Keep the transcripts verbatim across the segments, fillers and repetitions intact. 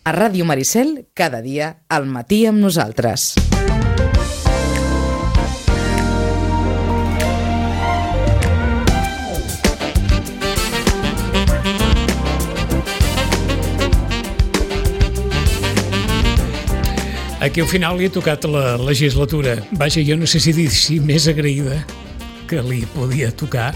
A Ràdio Maricel, cada dia, al matí amb nosaltres. Aquí al final li ha tocat la legislatura. Vaja, jo no sé si dir si més agraïda que li podia tocar.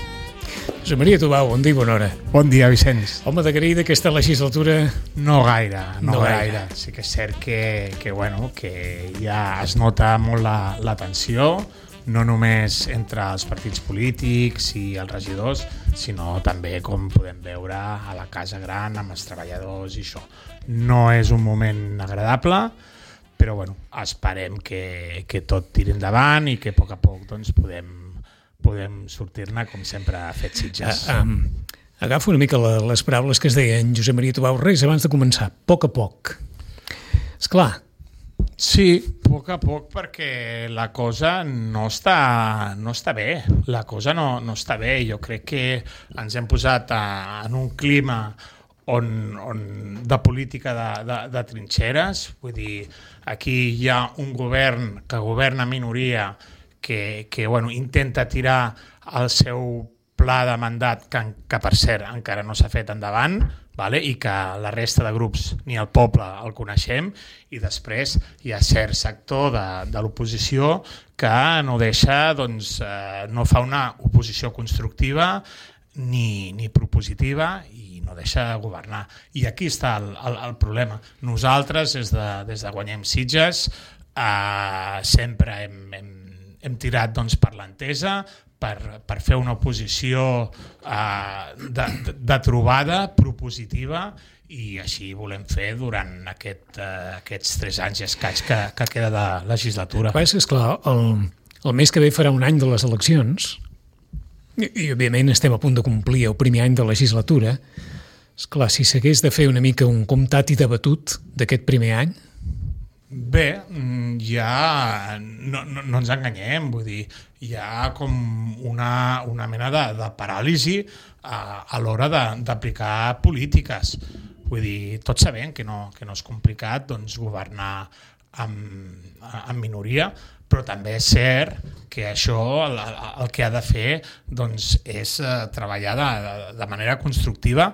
Josep Maria Tubau, bon dia i bona hora. Bon dia, Vicenç. Home, d'agrair d'aquesta legislatura... No gaire, no, no gaire. gaire. Sí que és cert que, que, bueno, que ja es nota molt la, la tensió, no només entre els partits polítics i els regidors, sinó també, com podem veure, a la Casa Gran, amb els treballadors i això. No és un moment agradable, però bueno, esperem que, que tot tiri endavant i que a poc a poc doncs, podem, podem sortir-ne com sempre ha fet Sitges. Uh, um, agafo una mica la, les paraules que es deien Josep Maria Tubau res abans de començar, a poc a poc. Esclar. Sí, a poc a poc, perquè la cosa no està, no està bé. La cosa no, no està bé. Jo crec que ens hem posat a, en un clima On, on, de política de, de, de trinxeres, vull dir, aquí hi ha un govern que governa minoria que, que bueno, intenta tirar el seu pla de mandat que, que per cert encara no s'ha fet endavant, vale? I que la resta de grups ni el poble el coneixem, i després hi ha cert sector de, de l'oposició que no deixa, doncs, eh, no fa una oposició constructiva ni, ni propositiva i no deixa de governar. I aquí està el, el, el problema. Nosaltres, des de, des de Guanyem Sitges, eh, sempre hem, hem, hem tirat doncs, per l'entesa, per, per fer una oposició eh, de, de, de trobada, propositiva, i així volem fer durant aquest, eh, aquests tres anys i escaig que, que queda de legislatura. El que és clar, el, el mes que ve farà un any de les eleccions, i, i òbviament estem a punt de complir el primer any de legislatura. Esclar, si s'hagués de fer una mica un comptat i debatut d'aquest primer any? Bé, ja no, no, no ens enganyem, vull dir, hi ha com una, una mena de, de paràlisi a, a l'hora d'aplicar polítiques. Vull dir, tots sabem que no, que no és complicat doncs, governar amb, amb minoria, però també és cert que això el, el que ha de fer doncs, és treballar de, de manera constructiva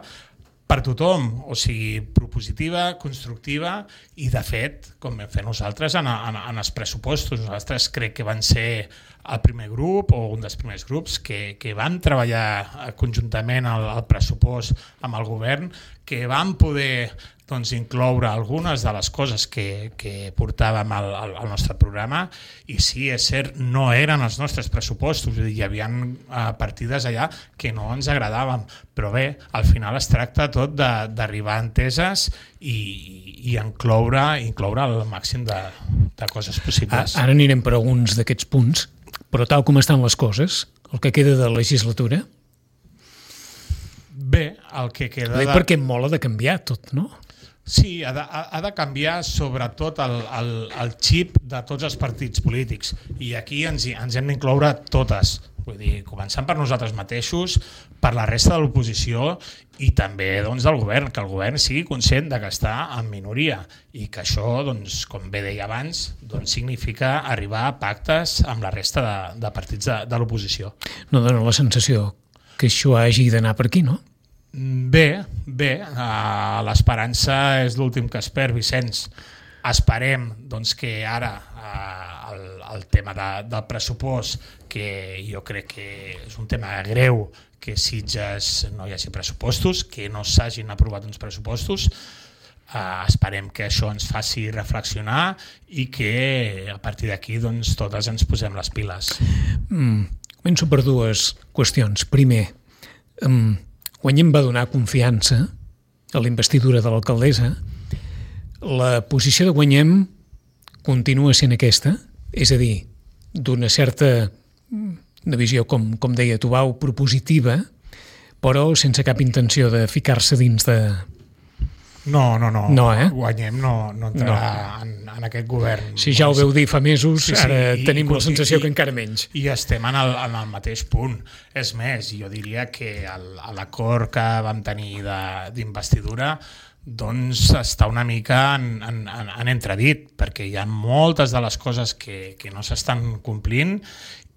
per tothom, o sigui, propositiva, constructiva, i de fet, com vam fer nosaltres en, en, en els pressupostos, nosaltres crec que van ser el primer grup o un dels primers grups que, que van treballar conjuntament el, el pressupost amb el govern, que van poder doncs, incloure algunes de les coses que, que portàvem al, al, al nostre programa, i sí, és cert, no eren els nostres pressupostos, hi havia uh, partides allà que no ens agradaven, però bé, al final es tracta tot d'arribar a enteses i, i incloure, incloure el màxim de, de coses possibles. Ara anirem per alguns d'aquests punts, però tal com estan les coses, el que queda de legislatura... Bé, el que queda... Bé, de... perquè mola de canviar tot, no? Sí, ha de, ha de canviar sobretot el, el, el xip de tots els partits polítics, i aquí ens, ens hem d'incloure totes, vull dir, començant per nosaltres mateixos, per la resta de l'oposició i també doncs, del govern, que el govern sigui conscient de que està en minoria i que això, doncs, com bé deia abans, doncs, significa arribar a pactes amb la resta de, de partits de, de l'oposició. No dona la sensació que això hagi d'anar per aquí, no? Bé, bé, uh, l'esperança és l'últim que es perd, Vicenç. Esperem doncs, que ara uh, el, el tema de, del pressupost, que jo crec que és un tema greu, que Sitges no hi hagi pressupostos, que no s'hagin aprovat uns pressupostos, uh, esperem que això ens faci reflexionar i que a partir d'aquí doncs, totes ens posem les piles. Mm, començo per dues qüestions. Primer, um, Guanyem va donar confiança a la investidura de l'alcaldessa. La posició de Guanyem continua sent aquesta, és a dir, d'una certa una visió, com, com deia Tubau, propositiva, però sense cap intenció de ficar-se dins de... No, no, no. No, eh? Guanyem no, no entrarà no. En, en aquest govern. Si ja ho veu dir fa mesos, sí, sí, ara i, tenim i, la sensació i, que encara menys. I estem en el, en el mateix punt. És més, jo diria que l'acord que vam tenir d'investidura doncs està una mica en, en, en entredit, perquè hi ha moltes de les coses que, que no s'estan complint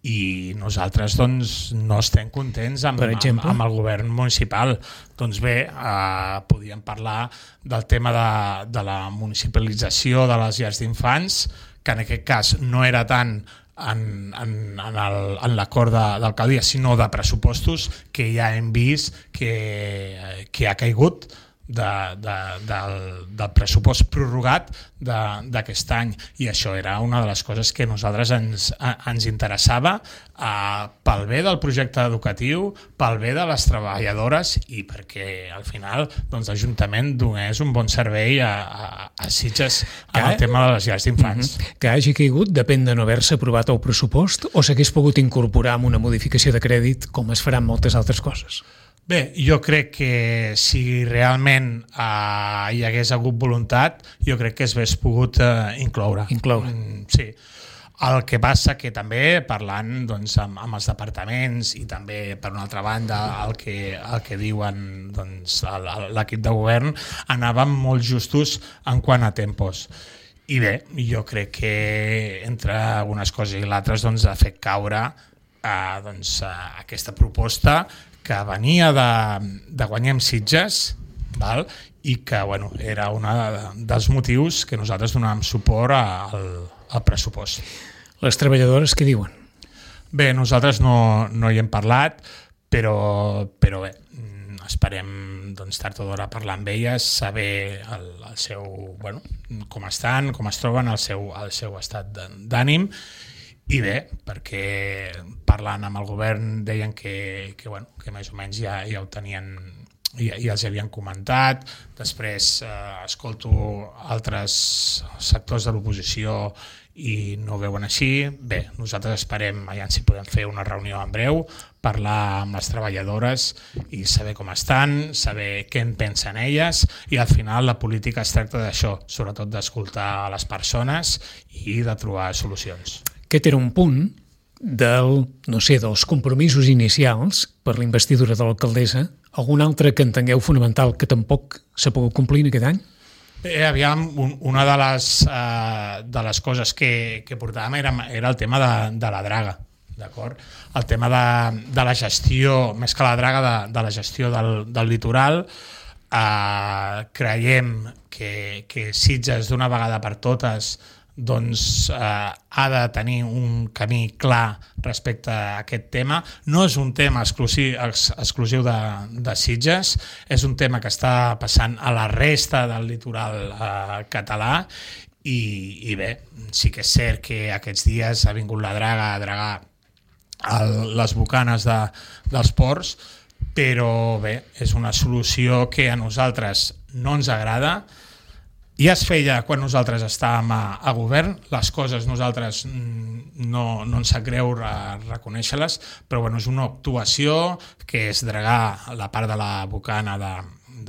i nosaltres doncs, no estem contents amb, amb, amb el govern municipal. Doncs bé, eh, podíem parlar del tema de, de la municipalització de les llars d'infants, que en aquest cas no era tant en, en, en, el, en l'acord d'alcaldia, sinó de pressupostos, que ja hem vist que, que ha caigut de, de, del, del pressupost prorrogat d'aquest any, i això era una de les coses que a nosaltres ens, a, ens interessava eh, pel bé del projecte educatiu, pel bé de les treballadores i perquè al final doncs, l'Ajuntament donés un bon servei a, a, a Sitges en el tema de les llars d'infants. Mm-hmm. Que hagi caigut depèn de no haver-se aprovat el pressupost o s'hagués pogut incorporar amb una modificació de crèdit com es farà amb moltes altres coses? Bé, jo crec que si realment eh, hi hagués hagut voluntat, jo crec que es hagués pogut eh, incloure. Incloure. Mm, sí. El que passa que també, parlant doncs, amb, amb els departaments i també, per una altra banda, el que, el que diuen doncs, l'equip de govern, anàvem molt justos en quant a tempos. I bé, jo crec que entre unes coses i l'altres doncs, ha fet caure eh, doncs, eh, aquesta proposta que venia de, de Guanyem Sitges, val? I que bueno, era un dels motius que nosaltres donàvem suport al, al pressupost. Les treballadores què diuen? Bé, nosaltres no, no hi hem parlat, però, però bé, esperem doncs, tard o d'hora parlar amb elles, saber el, el seu, bueno, com estan, com es troben, el seu, el seu estat d'ànim. I bé, perquè parlant amb el govern deien que, que, bueno, que més o menys ja, ja ho tenien, ja, ja els havien comentat. Després eh, escolto altres sectors de l'oposició i no ho veuen així. Bé, nosaltres esperem, aviam si podem fer una reunió en breu, parlar amb les treballadores i saber com estan, saber què en pensen elles, i al final la política es tracta d'això, sobretot d'escoltar a les persones i de trobar solucions. Aquest era un punt del, no sé, dels compromisos inicials per la investidura de l'alcaldessa. Algun altre que entengueu fonamental que tampoc s'ha pogut complir en aquest any? Bé, aviam, un, una de les, uh, de les coses que, que portàvem era, era el tema de, de la draga, d'acord? El tema de, de la gestió, més que la draga, de, de la gestió del, del litoral. Uh, creiem que, que Sitges d'una vegada per totes doncs eh, ha de tenir un camí clar respecte a aquest tema. No és un tema exclusiu, ex, exclusiu de, de Sitges, és un tema que està passant a la resta del litoral eh, català i, i bé, sí que és cert que aquests dies ha vingut la draga a dragar el, les bocanes de, dels ports, però bé, és una solució que a nosaltres no ens agrada. Ja es feia quan nosaltres estàvem a, a govern, les coses nosaltres no, no ens sap greu reconèixer-les, però bueno, és una actuació que és dragar la part de la bocana de,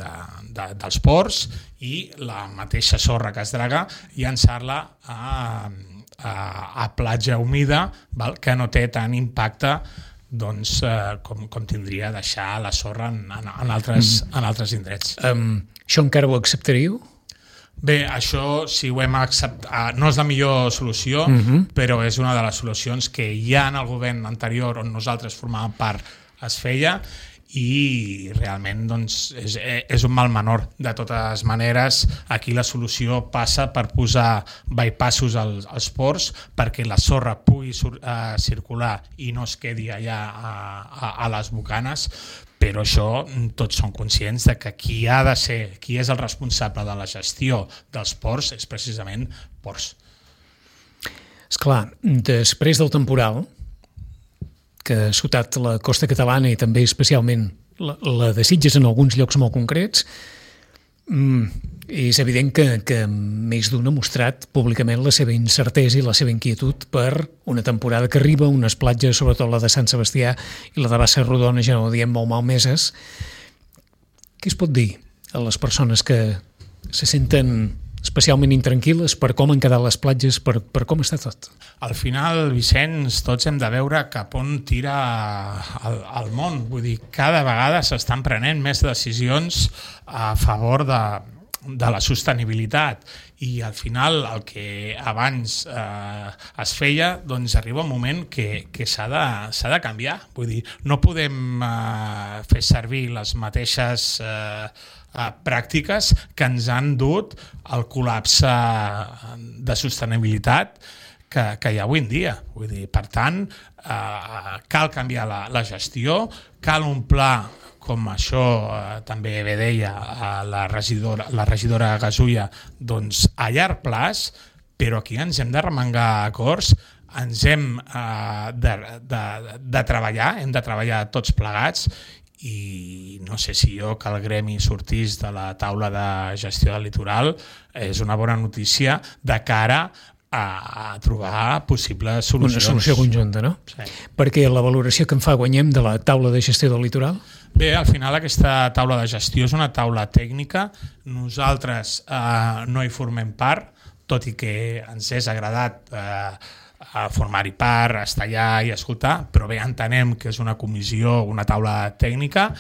de, de, dels ports i la mateixa sorra que es draga llançar-la a, a, a platja humida, val? Que no té tant impacte doncs, eh, com, com tindria deixar la sorra en, en, en, altres, mm. en altres indrets. Um, això encara ho acceptaríeu? Bé, això, si ho hem acceptat, no és la millor solució, uh-huh. però és una de les solucions que ja en el govern anterior, on nosaltres formàvem part, es feia, i realment doncs, és, és un mal menor. De totes maneres, aquí la solució passa per posar bypassos als, als ports perquè la sorra pugui sur, uh, circular i no es quedi allà a, a, a les bocanes, però això tots són conscients de que qui ha de ser, qui és el responsable de la gestió dels ports és precisament ports. Esclar, després del temporal, que ha sotat la costa catalana i també especialment la, la de Sitges en alguns llocs molt concrets, és evident que, que més d'un ha mostrat públicament la seva incertesa i la seva inquietud per una temporada que arriba, unes platges, sobretot la de Sant Sebastià i la de Bassa Rodona, ja no ho diem, molt malmeses. Què es pot dir a les persones que se senten especialment intranquil·les per com han quedat les platges, per, per com està tot? Al final, Vicenç, tots hem de veure cap on tira el, el món. Vull dir, cada vegada s'estan prenent més decisions a favor de, de la sostenibilitat i al final el que abans eh, es feia, doncs arriba un moment que, que s'ha de, s'ha de canviar. Vull dir, no podem eh, fer servir les mateixes eh, eh, pràctiques que ens han dut al col·lapse de sostenibilitat que, que hi ha avui en dia. Vull dir, per tant, eh, cal canviar la, la gestió, cal un pla com això eh, també bé deia eh, la regidora, la regidora Gasulla, doncs a llarg plaç, però aquí ens hem de remengar acords, ens hem eh, de, de, de treballar, hem de treballar tots plegats i no sé si jo que el gremi sortís de la taula de gestió del litoral és una bona notícia de cara a trobar possibles solucions. Una solució conjunta, no? Sí. Perquè la valoració que en fa Guanyem de la taula de gestió del litoral? Bé, al final aquesta taula de gestió és una taula tècnica. Nosaltres eh, no hi formem part, tot i que ens és agradat eh, formar-hi part, estar allà i escoltar, però bé, entenem que és una comissió, una taula tècnica,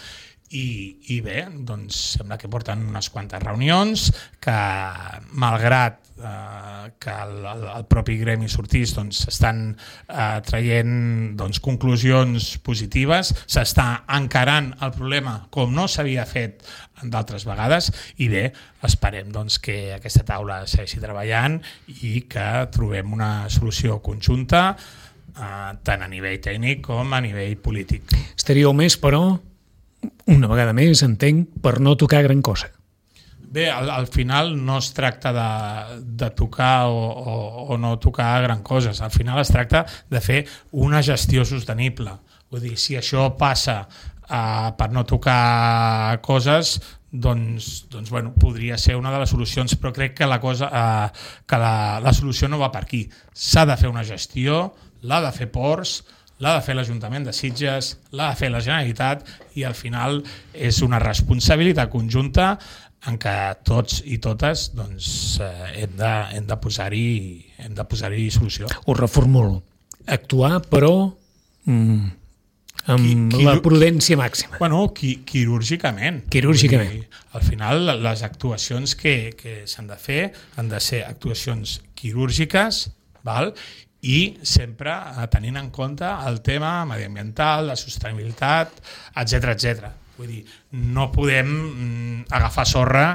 i, i bé, doncs sembla que porten unes quantes reunions, que malgrat eh, que el, el, el propi gremi sortís, doncs s'estan eh, traient doncs, conclusions positives, s'està encarant el problema com no s'havia fet d'altres vegades i bé, esperem doncs, que aquesta taula segueixi treballant i que trobem una solució conjunta eh, tant a nivell tècnic com a nivell polític. Estaríeu més, però, una vegada més, entenc, per no tocar gran cosa. Bé, al, al final no es tracta de, de tocar o, o, o no tocar gran coses. Al final es tracta de fer una gestió sostenible. Vull dir, si això passa uh, per no tocar coses, doncs, doncs bueno, podria ser una de les solucions, però crec que la, cosa, uh, que la, la solució no va per aquí. S'ha de fer una gestió, l'ha de fer Ports, l'ha de fer l'Ajuntament de Sitges, l'ha de fer la Generalitat i al final és una responsabilitat conjunta en què tots i totes doncs, eh, hem de, hem de posar-hi hem de posar-hi solució. Ho reformulo. Actuar, però mm, amb qui, qui, la prudència màxima. Bueno, qui, quirúrgicament. Quirúrgicament. Dir, al final, les actuacions que, que s'han de fer han de ser actuacions quirúrgiques, val? I sempre tenint en compte el tema mediambiental, la sostenibilitat, etcètera, etcètera. Vull dir, no podem mm, agafar sorra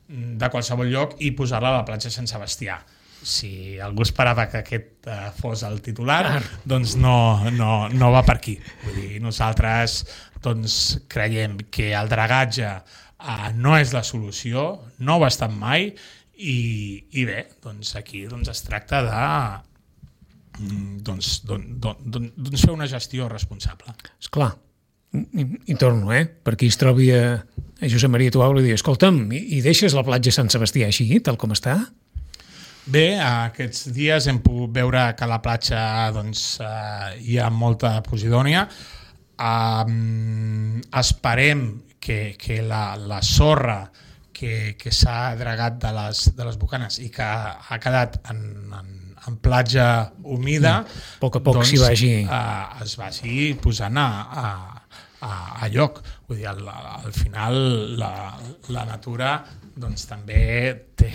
de qualsevol lloc i posar-la a la platja Sant Sebastià. Si algú esperava que aquest uh, fos el titular, doncs no, no, no va per aquí. Vull dir, nosaltres doncs, creiem que el dragatge uh, no és la solució, no ho ha estat mai, i, i bé, doncs aquí doncs es tracta de Doncs, don, don, don, doncs fer una gestió responsable. Esclar, i, i torno, eh? Per qui es trobi a, a Josep Maria Tuau i dir, escolta'm, i, i deixes la platja Sant Sebastià així, tal com està? Bé, aquests dies hem pogut veure que a la platja doncs, eh, hi ha molta posidònia. Um, esperem que, que la, la sorra que, que s'ha dragat de les, de les bocanes i que ha quedat en, en en platja humida, mm. a poc a poc doncs, s'hi vagi... Uh, es vagi posant a, a, a, a lloc. Vull dir, al, al final la, la natura doncs, també té,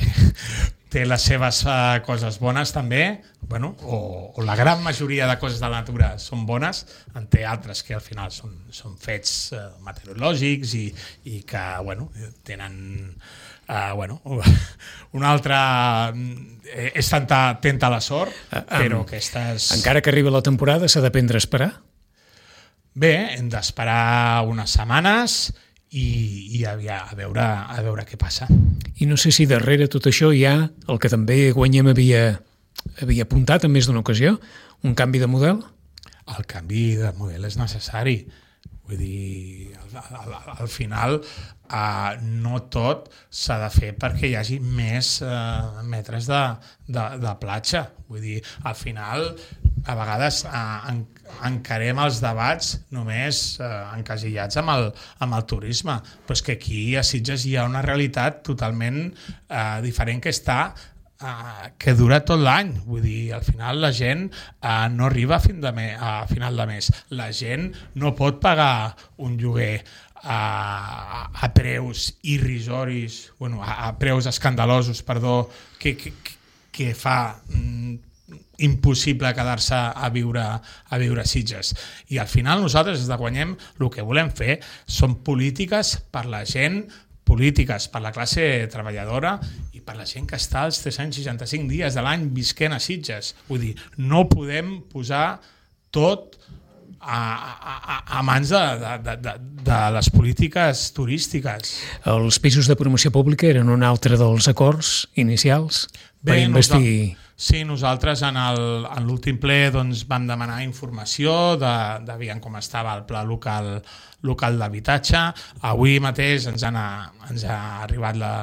té les seves uh, coses bones també, bueno, o, o la gran majoria de coses de la natura són bones, en té altres que al final són, són fets uh, meteorològics i, i que bueno, tenen... Uh, bueno, una altra eh, és tanta, tenta la sort, uh, però um, aquestes... Encara que arribi la temporada s'ha d'aprendre a esperar? Bé, hem d'esperar unes setmanes i, i a, a, veure, a veure què passa. I no sé si darrere tot això hi ha el que també Guanyem havia, havia apuntat en més d'una ocasió, un canvi de model? El canvi de model és necessari. Vull dir, al, al, al final uh, no tot s'ha de fer perquè hi hagi més uh, metres de, de, de platja. Vull dir, al final a vegades uh, en, encarem els debats només uh, encasillats amb el, amb el turisme, però és que aquí a Sitges hi ha una realitat totalment uh, diferent que està uh, que dura tot l'any. Vull dir, al final la gent uh, no arriba a, fin de me a final de mes. La gent no pot pagar un lloguer a, a preus irrisoris, bueno, a, a preus escandalosos, perdó, que, que, que fa mm, impossible quedar-se a viure a viure a Sitges. I al final nosaltres des de Guanyem el que volem fer són polítiques per la gent, polítiques per la classe treballadora i per la gent que està els tres cents seixanta-cinc dies de l'any visquent a Sitges. Vull dir, no podem posar tot a, a, a mans de, de, de, de les polítiques turístiques. Els pisos de promoció pública eren un altre dels acords inicials per Bé, investir... Nosaltres, sí, nosaltres en l'últim ple doncs, vam demanar informació de, de veient com estava el pla local, local d'habitatge. Avui mateix ens, han, ens ha arribat la,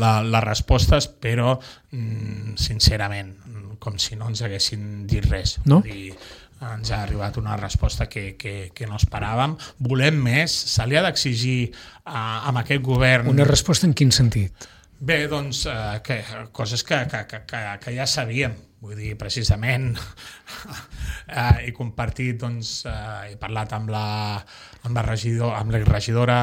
la, les respostes, però mm, sincerament, com si no ens haguessin dit res. No? Vull dir, ens ha arribat una resposta que, que, que no esperàvem. Volem més, se li ha d'exigir uh, amb aquest govern... Una resposta en quin sentit? Bé, doncs, uh, que, coses que, que, que, que ja sabíem. Vull dir, precisament, uh, he compartit, doncs, uh, he parlat amb la, amb la, regidor, amb la regidora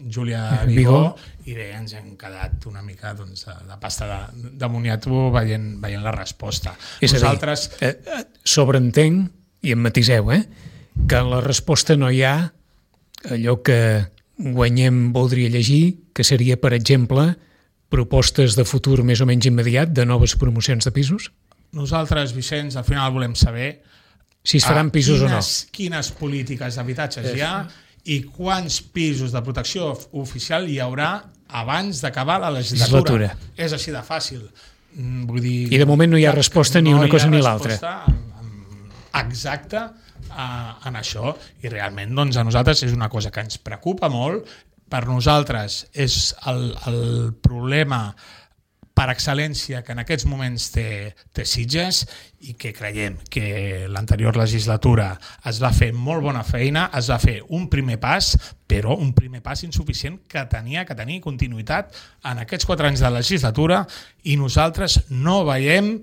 Júlia Vigó, i bé, ens hem quedat una mica doncs, de, de pasta de, de moniato veient, veient la resposta. És Nosaltres... a dir, eh, sobreentenc, i em matiseu, eh, que en la resposta no hi ha allò que Guanyem voldria llegir, que seria, per exemple, propostes de futur més o menys immediat de noves promocions de pisos? Nosaltres, Vicenç, al final volem saber si es faran pisos quines, o no. Quines polítiques d'habitatges hi ha i quants pisos de protecció oficial hi haurà abans d'acabar la legislatura. legislatura. És així de fàcil. Vull dir, I de moment no hi ha resposta ni no una cosa ni l'altra. l'altra. Exacte uh, en això, i realment doncs, a nosaltres és una cosa que ens preocupa molt. Per nosaltres és el, el problema per excel·lència que en aquests moments té, té Sitges, i que creiem que l'anterior legislatura es va fer molt bona feina, es va fer un primer pas, però un primer pas insuficient que tenia que tenir continuïtat en aquests quatre anys de legislatura, i nosaltres no veiem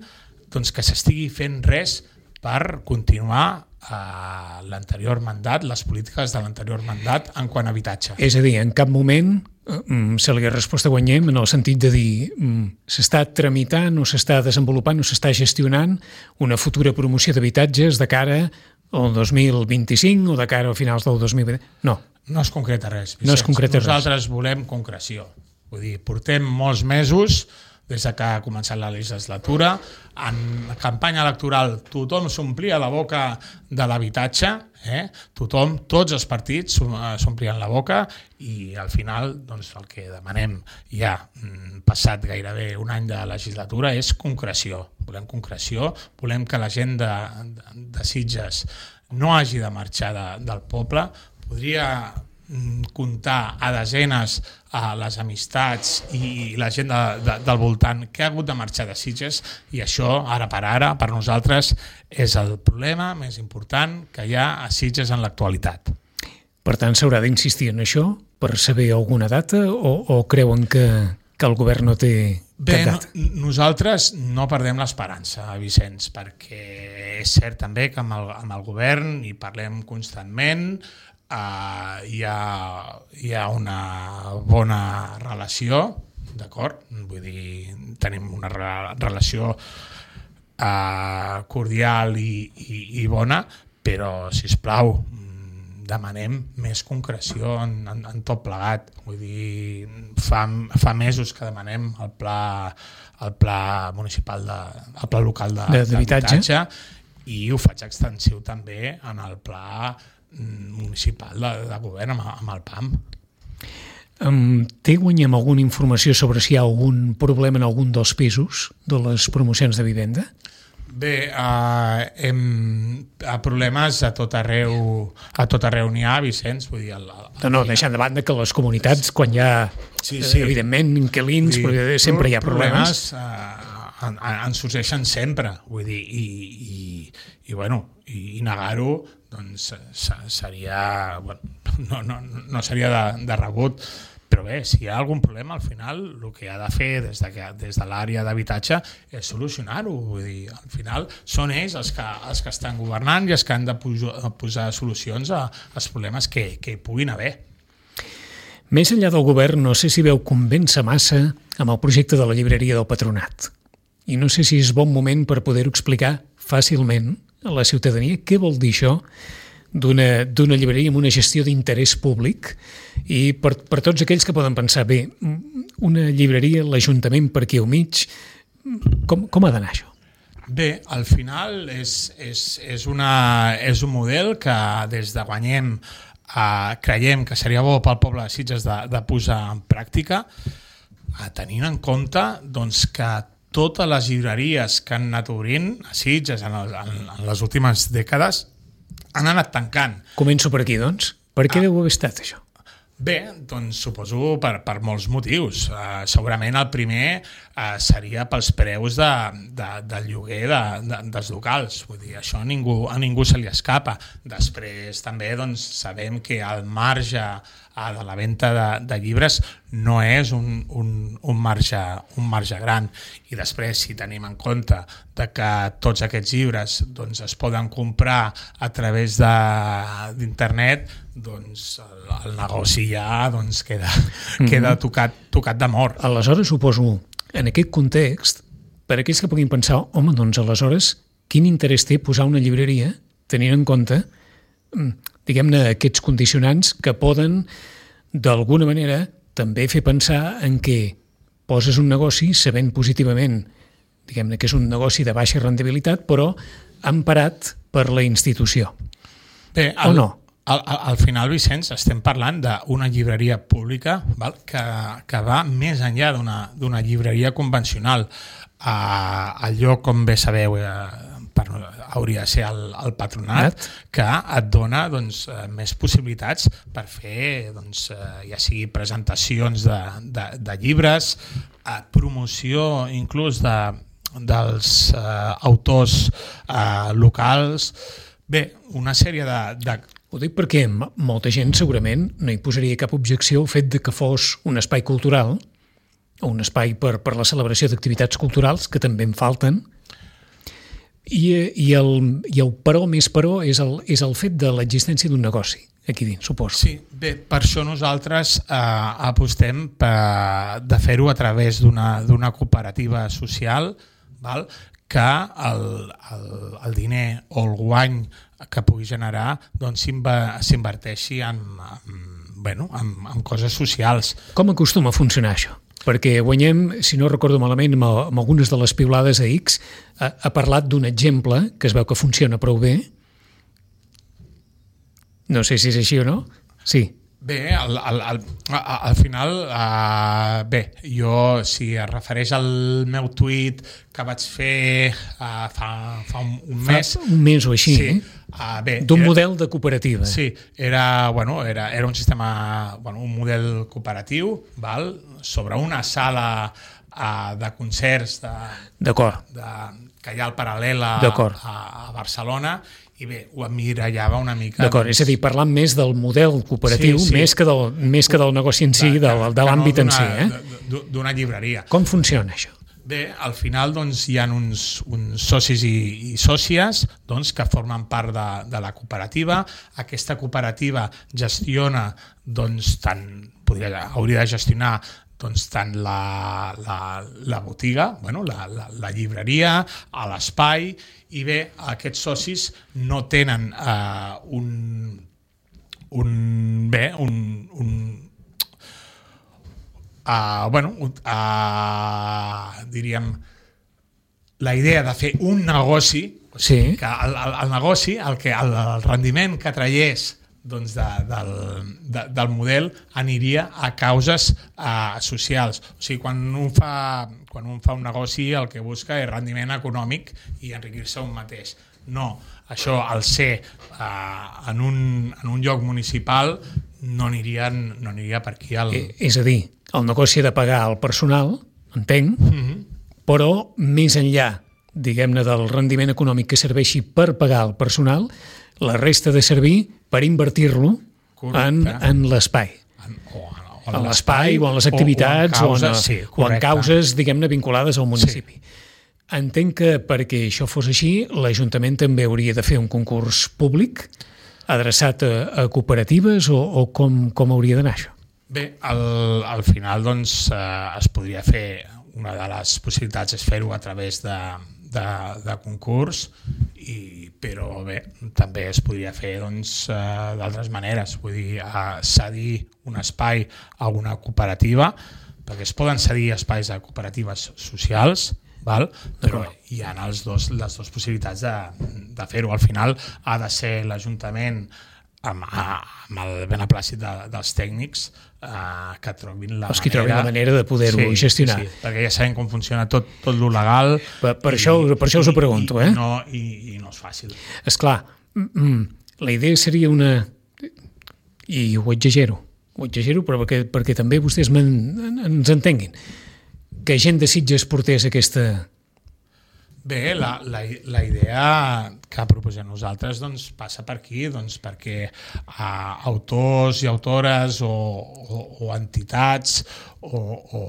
doncs, que s'estigui fent res per continuar a l'anterior mandat, les polítiques de l'anterior mandat en quant a habitatge. És a dir, en cap moment mm, se li ha respost a Guanyem en el sentit de dir mm, s'està tramitant o s'està desenvolupant o s'està gestionant una futura promoció d'habitatges de cara al dos mil vint-i-cinc o de cara a finals del dos mil vint. No. No es concreta res, Vicenç. No es concreta Nosaltres res. volem concreció. Vull dir, portem molts mesos des que ha començat la legislatura. En campanya electoral tothom s'omplia la boca de l'habitatge, eh? tothom, tots els partits s'omplien la boca, i al final doncs, el que demanem ja passat gairebé un any de legislatura és concreció. Volem concreció, volem que la gent de, de, de Sitges no hagi de marxar de, del poble. Podria comptar a desenes a les amistats i la gent de, de, del voltant que ha hagut de marxar de Sitges, i això, ara per ara, per nosaltres, és el problema més important que hi ha a Sitges en l'actualitat. Per tant, s'haurà d'insistir en això per saber alguna data, o, o creuen que, que el govern no té Bé, cap data? No, nosaltres no perdem l'esperança, Vicenç, perquè és cert també que amb el, amb el govern hi parlem constantment. Uh, hi, ha, hi ha una bona relació, d'acord? Vull dir, tenim una re relació uh, cordial i, i, i bona, però, sisplau, demanem més concreció en, en, en tot plegat. Vull dir, fa, fa mesos que demanem el pla, el pla municipal, de, el pla local d'habitatge, i ho faig extensiu també en el pla municipal de, de govern amb, amb el P A M. Um, té Guanyem alguna informació sobre si hi ha algun problema en algun dels pisos de les promocions de vivenda? Bé, uh, hem, a problemes a tot arreu, a tot arreu n'hi ha, Vicenç. Vull dir, el, el, no, no, deixant de banda que les comunitats, quan hi ha, sí, sí. evidentment, inquilins, dir, però sempre hi ha problemes. problemes uh, en, en sorgeixen sempre, vull dir, i, i, i, bueno, i, i negar-ho doncs seria, bueno, no, no, no seria de, de rebut, Però bé, si hi ha algun problema, al final el que ha de fer des de, des de l'àrea d'habitatge és solucionar-ho. Vull dir, al final són ells els que, els que estan governant i els que han de posar, posar solucions a, als problemes que, que hi puguin haver. Més enllà del govern, no sé si veu convèncer massa amb el projecte de la llibreria del Patronat. I no sé si és bon moment per poder-ho explicar fàcilment a la ciutadania què vol dir això d'una, d'una llibreria amb una gestió d'interès públic, i per, per tots aquells que poden pensar, bé, una llibreria, l'Ajuntament per aquí al mig, com, com ha d'anar això? Bé, al final és, és, és, una, és un model que des de Guanyem eh, creiem que seria bo pel poble de Sitges de, de posar en pràctica, eh, tenint en compte doncs, que totes les llibreries que han anat obrint a Sitges en, el, en, en les últimes dècades han anat tancant. Començo per aquí, doncs. Per què ah. deu haver estat això? Bé, doncs suposo per, per molts motius. Uh, segurament el primer uh, seria pels preus de, de, del lloguer de, de, dels locals. Vull dir, això a ningú, a ningú se li escapa. Després també doncs, sabem que el marge uh, de la venda de, de llibres no és un, un, un, marge, un marge gran. I després, si tenim en compte de que tots aquests llibres doncs, es poden comprar a través de, d'internet, doncs el, el negoci ja doncs, queda, mm-hmm. queda tocat, tocat de mort. Aleshores, suposo, en aquest context, per aquells que puguin pensar, home, doncs aleshores, quin interès té posar una llibreria tenint en compte, diguem-ne, aquests condicionants que poden, d'alguna manera, també fer pensar en què poses un negoci sabent positivament, diguem-ne, que és un negoci de baixa rendibilitat, però emparat per la institució. Bé, el... o no? Al, al final, Vicenç, estem parlant d'una llibreria pública, val? Que, que va més enllà d'una, d'una llibreria convencional. Uh, el lloc, com bé sabeu, uh, per, hauria de ser el, el Patronat, que et dona doncs, uh, més possibilitats per fer, doncs, uh, ja sigui presentacions de, de, de llibres, uh, promoció inclús de, dels uh, autors uh, locals. Bé, una sèrie de... de Ho dic perquè molta gent segurament no hi posaria cap objecció al fet de que fos un espai cultural o un espai per, per la celebració d'activitats culturals, que també en falten, i, i, el, i el però més però és el, és el fet de l'existència d'un negoci aquí dins, suposo. Sí, bé, per això nosaltres eh, apostem per, de fer-ho a través d'una, d'una cooperativa social, val? Que el, el, el diner o el guany que pugui generar doncs, s'inverteixi en, en, bueno, en, en coses socials. Com acostuma a funcionar això? Perquè Guanyem, si no recordo malament, amb, amb algunes de les piulades a X, ha, ha parlat d'un exemple que es veu que funciona prou bé. No sé si és així o no. Sí. Bé, al, al, al, al final, uh, bé, jo, si es refereix al meu tuit que vaig fer uh, fa, fa un, un mes... Fa un mes o així, sí, eh? Uh, bé, d'un era, model de cooperativa. Sí, era, bueno, era, era un sistema, bueno, un model cooperatiu, val? Sobre una sala uh, de concerts de, D'acord. De, que hi ha al paral·lel a, a, a Barcelona, i bé, ho emmirallava una mica... D'acord, doncs... és a dir, parlant més del model cooperatiu, sí, sí. Més, que del, més que del negoci en si, de, del, de l'àmbit no en si. Eh? D'una llibreria. Com funciona això? Bé, al final doncs, hi ha uns, uns socis i, i sòcies doncs, que formen part de, de la cooperativa. Aquesta cooperativa gestiona, doncs, tant, podria, hauria de gestionar doncs, tant la, la, la botiga, bueno, la, la, la llibreria, a l'espai, i bé, aquests socis no tenen uh, un, un, bé, un, un uh, bueno, uh, diríem, la idea de fer un negoci, o sigui, sí. que el, el, el negoci, el, que, el, el rendiment que traiés doncs de, del, de, del model aniria a causes uh, socials. O sigui, quan un, fa, quan un fa un negoci el que busca és rendiment econòmic i enriquir-se un mateix. No, això al ser uh, en, un, en un lloc municipal no aniria, no aniria per aquí. El... Eh, és a dir, el negoci ha de pagar el personal, entenc, mm-hmm. però més enllà, diguem-ne, del rendiment econòmic que serveixi per pagar el personal, la resta de servir per invertir-lo en, en l'espai. O, o en l'espai o en les activitats o, o, en, causes, sí, o en causes, diguem-ne, vinculades al municipi. Sí. Entenc que perquè això fos així, l'Ajuntament també hauria de fer un concurs públic adreçat a, a cooperatives o, o com, com hauria d'anar això? Bé, al, al final doncs, eh, es podria fer, una de les possibilitats és fer-ho a través de, de, de concurs, i, però bé, també es podria fer doncs, eh, d'altres maneres, vull dir, eh, cedir un espai a una cooperativa, perquè es poden cedir espais a cooperatives socials, val? Però hi ha els dos, les dues possibilitats de, de fer-ho. Al final ha de ser l'Ajuntament amb, amb el beneplàcit de, dels tècnics eh, que trobin la Els que manera... trobin la manera de poder-ho sí, gestionar. Sí, sí, perquè ja sabem com funciona tot, tot lo legal. Per, per, i, això, per això us ho pregunto. I, eh? i, no, i, i no és fàcil. Esclar, mm, la idea seria una... I ho exagero, ho exagero però perquè, perquè també vostès ens entenguin. Que gent de Sitges portés aquesta... Bé, la, la, la idea que proposem nosaltres doncs, passa per aquí, doncs, perquè uh, autors i autores o, o, o entitats o, o,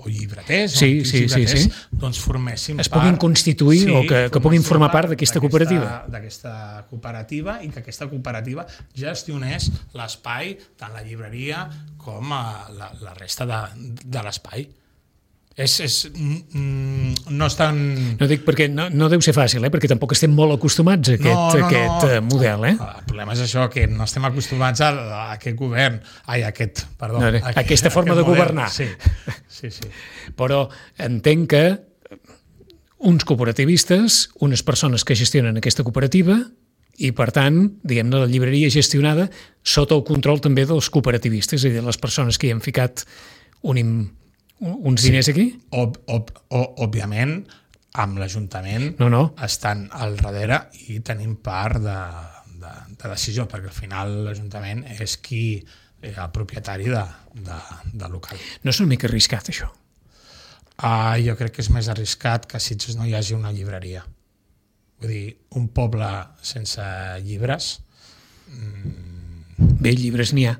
o llibreters, sí, o sí, llibreters sí, sí. doncs forméssim es puguin part, constituir sí, o que, que puguin formar part d'aquesta cooperativa. D'aquesta cooperativa i que aquesta cooperativa gestionés l'espai, tant la llibreria com uh, la, la resta de, de l'espai. És, és, mm, no és tan... No dic perquè no, no deu ser fàcil, eh? Perquè tampoc estem molt acostumats a aquest, no, no, aquest no. model. Eh? El problema és això, que no estem acostumats a, a aquest govern, ai, a aquest, perdó, no, a aquesta forma aquest de model. governar. Sí, sí, sí. Però entenc que uns cooperativistes, unes persones que gestionen aquesta cooperativa i, per tant, diguem-ne, la llibreria gestionada sota el control també dels cooperativistes, és a dir, les persones que hi han ficat un im uns diners aquí? Ob, ob, ob, òbviament, amb l'Ajuntament no, no. estan al darrere i tenim part de, de, de decisió, perquè al final l'Ajuntament és qui és el propietari de, de, de local. No és una mica arriscat, això? Uh, jo crec que és més arriscat que a Sitges no hi hagi una llibreria. Vull dir, un poble sense llibres... Mm... Bé, llibres n'hi ha.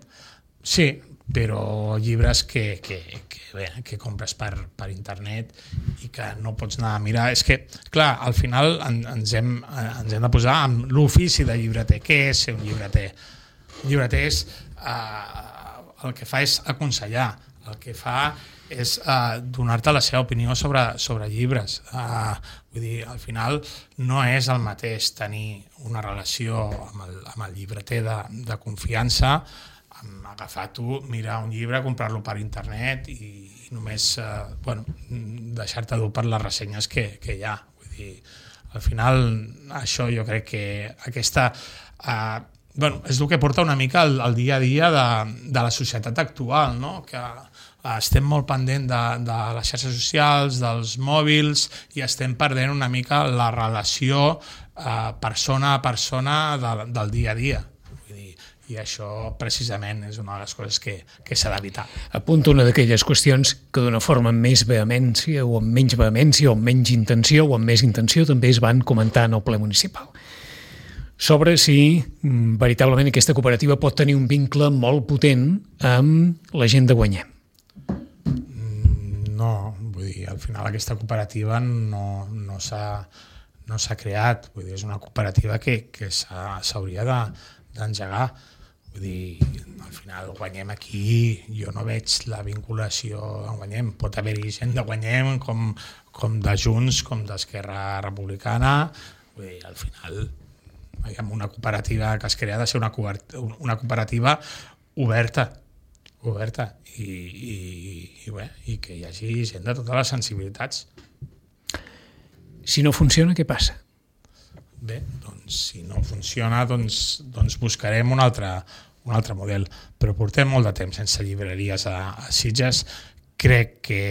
Sí, però llibres que, que, que, bé, que compres per, per internet i que no pots anar a mirar. És que, clar, al final en, ens, hem, ens hem de posar amb l'ofici de llibreter. Què és ser un llibreter? Un llibreter és, eh, el que fa és aconsellar, el que fa és eh, donar-te la seva opinió sobre, sobre llibres. Eh, vull dir, al final no és el mateix tenir una relació amb el, amb el llibreter de, de confiança, agafar tu, mirar un llibre, comprar-lo per internet i, i només eh, bueno, deixar-te dur per les ressenyes que, que hi ha. Vull dir, al final això jo crec que aquesta eh, bueno, és el que porta una mica el, el dia a dia de, de la societat actual, no? Que eh, estem molt pendent de, de les xarxes socials, dels mòbils, i estem perdent una mica la relació eh, persona a persona de, del dia a dia. I això precisament és una de les coses que, que s'ha d'evitar. Apunto una d'aquelles qüestions que d'una forma amb més vehemència o amb menys vehemència o amb menys intenció o amb més intenció també es van comentar en el ple municipal. Sobre si mm, veritablement aquesta cooperativa pot tenir un vincle molt potent amb la gent de Guanyem. No, vull dir, al final aquesta cooperativa no, no s'ha no s'ha creat, vull dir, és una cooperativa que, que s'hauria de, d'engegar. Vull dir, al final Guanyem aquí, jo no veig la vinculació amb Guanyem. Pot haver-hi gent de Guanyem com, com de Junts, com d'Esquerra Republicana. Vull dir, al final amb una cooperativa que es crea ha de ser una, una cooperativa oberta, oberta i, i, i, bé, i que hi hagi gent de totes les sensibilitats. Si no funciona, què passa? Bé, doncs si no funciona doncs, doncs buscarem un altre, un altre model, però portem molt de temps sense llibreries a, a Sitges. Crec que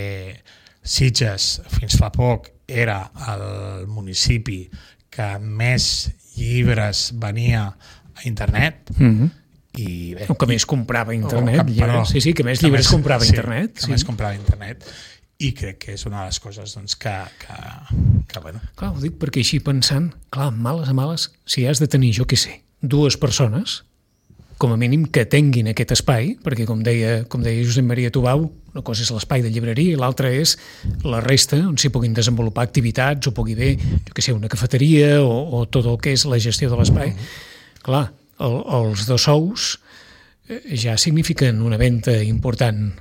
Sitges fins fa poc era el municipi que més llibres venia a internet. Mm-hmm. I bé, o que més comprava a internet. que, perdó, sí, sí, que més que llibres més, comprava a sí, internet. Que sí. més comprava a internet. I crec que és una de les coses doncs, que, que, que bueno. Clar, ho dic perquè així pensant, clar, males a males, si has de tenir, jo què sé, dues persones com a mínim que tinguin aquest espai, perquè com deia, com deia Josep Maria Tubau, una cosa és l'espai de llibreria i l'altra és la resta on s'hi puguin desenvolupar activitats o pugui haver, jo què sé, una cafeteria o, o tot el que és la gestió de l'espai. Clar, el, els dos sous ja signifiquen una venda important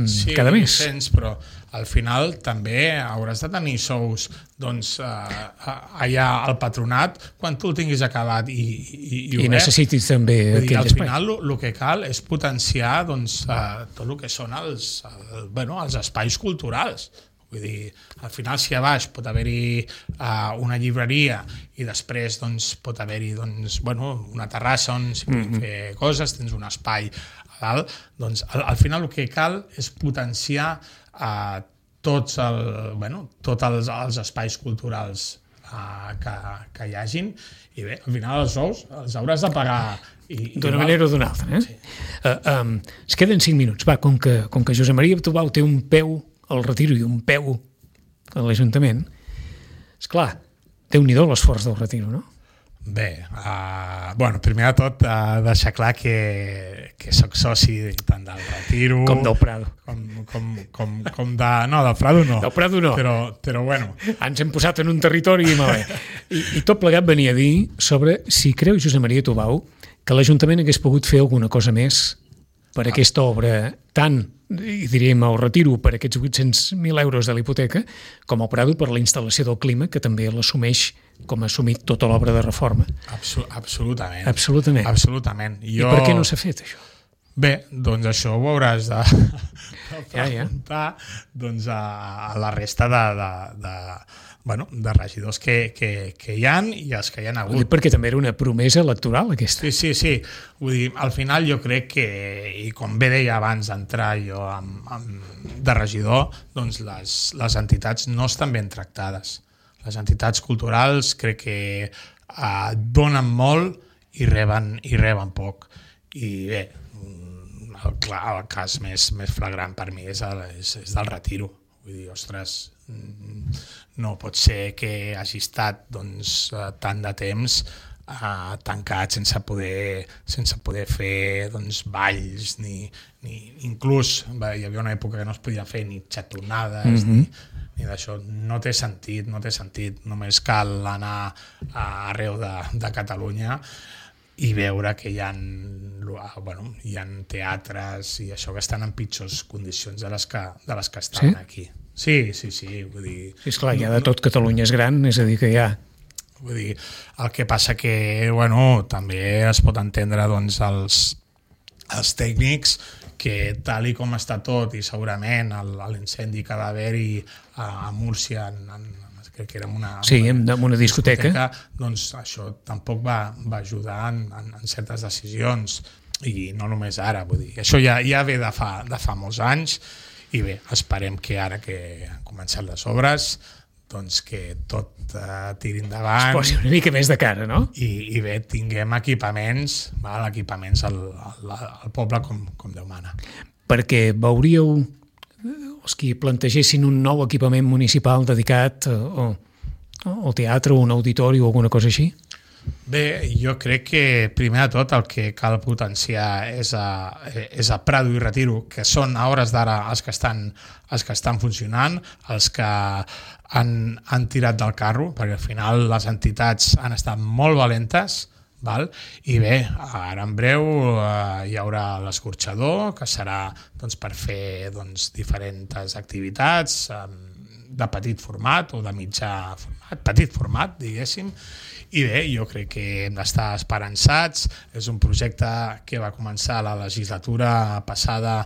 sí, cada mes. Sí, Vicenç, però al final també hauràs de tenir sous doncs, eh, allà al patronat quan tu el tinguis acabat i, i, i, I necessitis també dir, aquell al espai. Al final el que cal és potenciar doncs, eh, tot el que són els, el, bueno, els espais culturals. Vull dir, al final si a baix pot haver-hi uh, una llibreria i després doncs, pot haver-hi doncs, bueno, una terrassa on s'hi puguin mm-hmm. fer coses, tens un espai a dalt, doncs al, al final el que cal és potenciar uh, tots, el, bueno, tots els, els espais culturals uh, que, que hi hagin i bé, al final els sous els hauràs de pagar d'una manera o d'una altra. Eh? Sí. Uh, um, es queden cinc minuts. Va, com que, com que Josep Maria Tubau té un peu al Retiro i un peu a l'Ajuntament, esclar, Déu-n'hi-do l'esforç del Retiro, no? Bé, uh, bueno, primer de tot uh, deixar clar que, que soc soci tant del Retiro... Com del Prado. Com, com, com, com de... No, del Prado no. Del Prado no. Però, però bueno... Ens hem posat en un territori... I, I tot plegat venia a dir sobre si creu Josep Maria Tubau que l'Ajuntament hagués pogut fer alguna cosa més per aquesta obra, tant, i diríem, el Retiro per aquests vuit-cents mil euros de l'hipoteca, com el Prado per la instal·lació del clima, que també l'assumeix com ha assumit tota l'obra de reforma. Absol absolutament. Absolutament. Absolutament. Jo... I per què no s'ha fet, això? Bé, doncs això ho hauràs de, de preguntar ja, ja. Doncs a, a la resta de, de, de, bueno, de regidors que, que, que hi ha i els que hi ha hagut. Perquè també era una promesa electoral, aquesta. Sí, sí, sí. Vull dir, al final jo crec que, i com bé deia abans d'entrar jo amb, amb, de regidor, doncs les, les entitats no estan ben tractades. Les entitats culturals crec que eh, donen molt i reben, i reben poc. I bé, el, clar, el cas més, més flagrant per mi és, el, és, és del Retiro. Vull dir, ostres, no pot ser que hagi estat doncs, tant de temps uh, tancat sense poder, sense poder fer doncs, balls, ni, ni inclús hi havia una època que no es podia fer ni xatonades, mm-hmm. ni, ni d'això. No té sentit, no té sentit. Només cal anar a arreu de, de Catalunya i veure que hi ha, bueno, hi ha teatres i això que estan en pitjors condicions de les que, de les que estan sí? aquí. Sí, sí, sí. Vull dir, sí, esclar, ja de tot Catalunya és gran, és a dir que ja... Vull dir, el que passa que, bueno, també es pot entendre doncs, els, els tècnics que tal i com està tot i segurament l'incendi que va haver-hi a, a Múrcia en, en crec que era una, sí, en una discoteca. discoteca, doncs això tampoc va, va ajudar en, en, en certes decisions i no només ara, vull dir, això ja, ja ve de fa, de fa molts anys i bé, esperem que ara que han començat les obres doncs que tot uh, tiri endavant. Es posi una mica més de cara, no? I, i bé, tinguem equipaments, val, equipaments al, al, al poble com, com Déu mana. Perquè veuríeu els que plantegessin un nou equipament municipal dedicat o, o, al teatre o un auditori o alguna cosa així? Bé, jo crec que primer de tot el que cal potenciar és a, és a Prado i Retiro, que són a hores d'ara els que estan, els que estan funcionant, els que han, han tirat del carro, perquè al final les entitats han estat molt valentes, val? I bé, ara en breu eh, hi haurà l'escorxador, que serà doncs, per fer doncs, diferents activitats eh, de petit format o de mitjà format, petit format, diguéssim, i bé, jo crec que hem d'estar esperançats. És un projecte que va començar la legislatura passada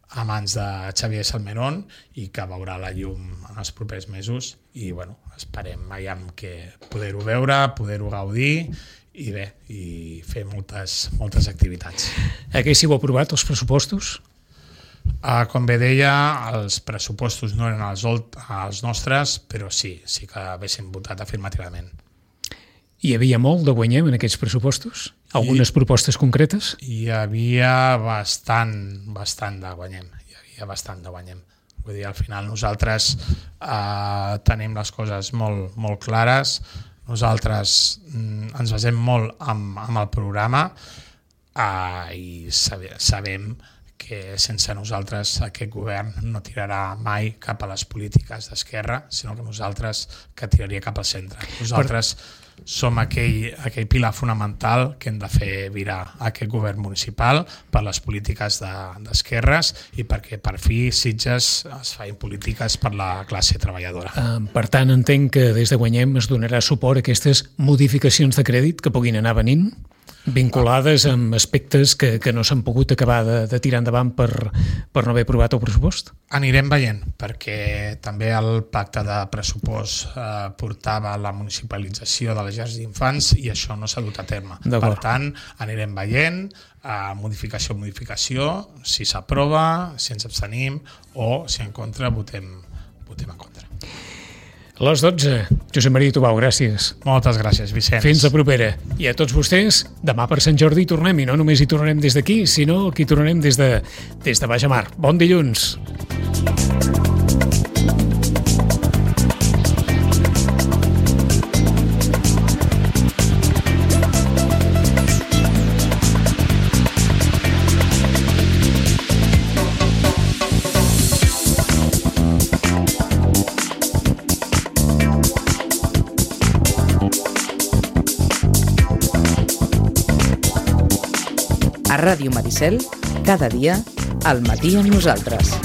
a mans de Xavier Salmerón i que veurà la llum en els propers mesos i bueno, esperem aviam que poder-ho veure, poder-ho gaudir i bé, i fer moltes, moltes activitats. Haguéssiu aprovat els pressupostos? Uh, com bé deia, els pressupostos no eren els, els nostres, però sí, sí que haguéssim votat afirmativament. Hi havia molt de Guanyem en aquests pressupostos? Algunes I, propostes concretes? Hi havia bastant, bastant de Guanyem. Hi havia bastant de Guanyem. Vull dir, al final nosaltres uh, tenim les coses molt, molt clares. Nosaltres mm, ens basem molt amb, amb el programa. uh, i sabe, sabem que sense nosaltres aquest govern no tirarà mai cap a les polítiques d'esquerra, sinó que nosaltres que tiraria cap al centre. Nosaltres per... som aquell, aquell pilar fonamental que hem de fer virar aquest govern municipal per les polítiques de, d'esquerres i perquè per fi Sitges es facin polítiques per la classe treballadora. Uh, per tant, entenc que des de Guanyem es donarà suport a aquestes modificacions de crèdit que puguin anar venint, vinculades amb aspectes que, que no s'han pogut acabar de, de tirar endavant per, per no haver aprovat el pressupost? Anirem veient, perquè també el pacte de pressupost eh, portava la municipalització de les llars d'infants i això no s'ha dut a terme. Per tant, anirem veient, eh, modificació a modificació, si s'aprova, si ens abstenim o si en contra votem, votem en contra. A les dotze, Josep Maria Tubau, gràcies. Moltes gràcies, Vicenç. Fins la propera. I a tots vostès, demà per Sant Jordi hi tornem, i no només hi tornarem des d'aquí, sinó que hi tornarem des de, des de Baix a Mar. Bon dilluns. A Ràdio Maricel, cada dia, al matí amb nosaltres.